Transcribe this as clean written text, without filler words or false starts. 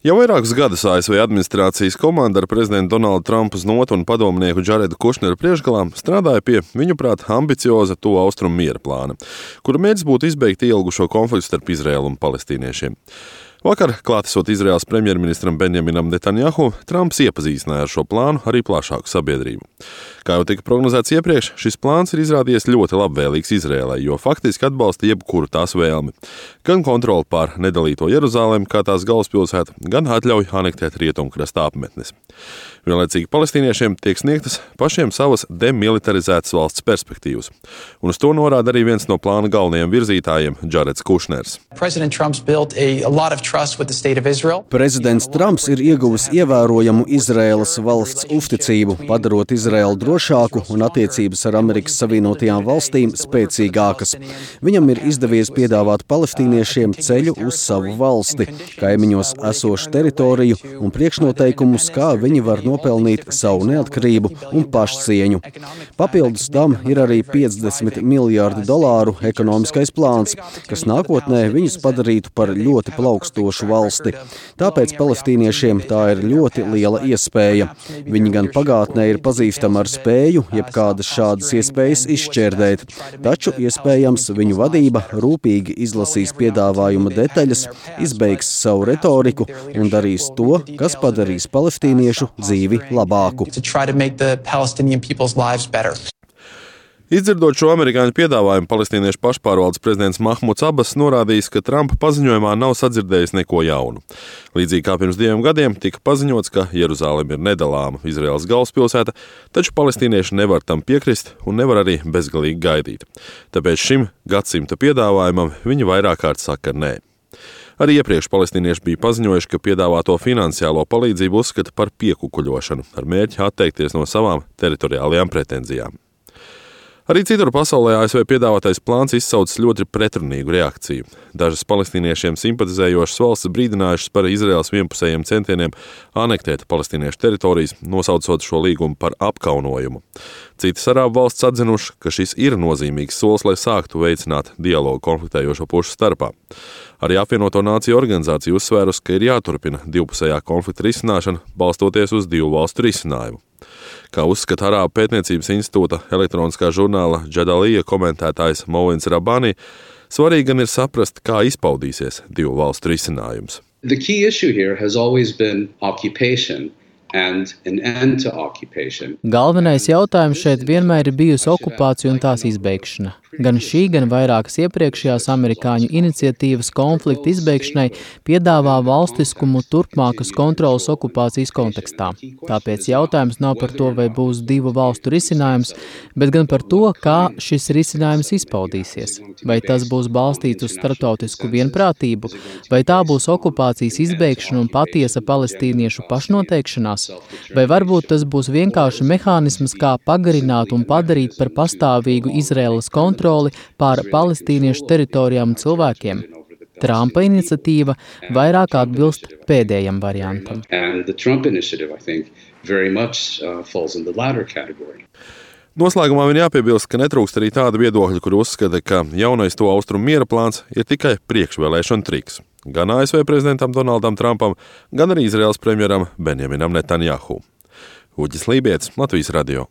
Jau vairākus gadus ASV administrācijas komanda ar prezidentu Donaldu Trumpu uz notu un padomnieku Džaredu Kušneru priekšgalā strādāja pie, viņuprāt, ambicioza Tuvu Austrumu miera plāna, kura mērķis būtu izbeigt ilgušo konfliktu starp Izraēlu un palestīniešiem. Vakar, klātesot Izraēlas premjerministram Benjaminam Netanjahu, Trumps iepazīstināja ar šo plānu arī plašāku sabiedrību. Kā jau tika prognozēts iepriekš, šis plāns ir izrādījies ļoti labvēlīgs Izraēlai, jo faktiski atbalsta jebkuru tās vēlmi. Gan kontroli pār nedalīto Jeruzalemi kā tās galvaspilsētu, gan atļauj anektēt rietumkrasta apmetnes. Vienlaicīgi palestīniešiem tiek sniegtas pašiem savas demilitarizētas valsts perspektīvas. Un uz to norāda arī viens no plāna galvenajiem virzītājiem – Džareds Kušners. Prezidents Trumps ir ieguvis ievērojamu Izraēlas valsts uzticību, padarot Izraēlu drošāku un attiecības ar Amerikas Savienotajām valstīm spēcīgākas. Viņam ir izdevies piedāvāt palestīniešiem ceļu uz savu valsti, kaimiņos esošu teritoriju un priekšnoteikumus, kā viņi var nopelnīt savu neatkarību un pašcieņu. Papildus tam ir arī $50 miljārdi ekonomiskais plāns, kas nākotnē viņus padarītu par ļoti plaukstošu valsti. Tāpēc palestīniešiem tā ir ļoti liela iespēja. Viņi gan pagātnē ir pazīstami ar spēju jebkādas šādas iespējas izšķērdēt, taču iespējams viņu vadība rūpīgi izlasīs piedāvājuma detaļas, izbeigs savu retoriku un darīs to, kas padarīs palestīniešu dzīvi labāku. Izdzirdot šo amerikāņu piedāvājumu, palestīniešu pašpārvaldes prezidents Mahmuds Abbas norādījis, ka Trumpa paziņojumā nav sadzirdējis neko jaunu. Līdzīgi kā pirms 2 gadiem tika paziņots, ka Jeruzaleme ir nedalāma Izraēlas galvaspilsēta, taču palestīnieši nevar tam piekrist un nevar arī bezgalīgi gaidīt. Tāpēc šim gadsimta piedāvājumam viņi vairāk kārt saka nē. Arī iepriekš palestīnieši bija paziņojuši, ka piedāvāto finansiālo palīdzību uzskata par piekukuļošanu ar mērķi atteikties no savām teritoriālajām pretenzijām. Arī citur pasaulē ASV piedāvātais plāns izsaucis ļoti pretrunīgu reakciju. Dažas palestīniešiem simpatizējošas valstis brīdinājušas par Izraēlas vienpusējiem centieniem anektēt palestīniešu teritorijas, nosaucot šo līgumu par apkaunojumu. Citas arābu valsts atzinuši, ka šis ir nozīmīgs solis, lai sāktu veicināt dialogu konfliktējošo pušu starpā. Arī apvienoto nāciju organizācija uzsvērusi, ka ir jāturpina divpusējā konflikta risināšana, balstoties uz 2 valstu risinājumu. Kā uzskata Arābu pētniecības institūta elektroniskā žurnāla Džadalija komentētājs Mouins Rabani, svarīgi gan ir saprast, kā izpaudīsies 2 valstu risinājums. The key issue here has always been occupation and an end to occupation. Galvenais jautājums šeit vienmēr ir bijusi okupācija un tās izbeigšana. Gan šī, gan vairākas iepriekšējās amerikāņu iniciatīvas konflikta izbeigšanai piedāvā valstiskumu turpmākas kontrolas okupācijas kontekstā. Tāpēc jautājums nav par to, vai būs 2 valstu risinājums, bet gan par to, kā šis risinājums izpaudīsies. Vai tas būs balstīts uz starptautisku vienprātību, vai tā būs okupācijas izbeigšana un patiesa palestīniešu pašnoteikšanās, vai varbūt tas būs vienkārši mehānisms, kā pagarināt un padarīt par pastāvīgu Izraēlas kontroli pār palestīniešu teritorijām un cilvēkiem. Trumpa iniciatīva vairāk atbilst pēdējam variantam. Noslēgumā vien jāpiebilst, ka netrūkst arī tāda viedokļa, kur uzskata, ka jaunais Tuvu Austrumu miera plāns ir tikai priekšvēlēšana triks. Gan ASV prezidentam Donaldam Trumpam, gan arī Izraēlas premjeram Benjaminam Netanjahu. Uģis Lībietis, Latvijas radio.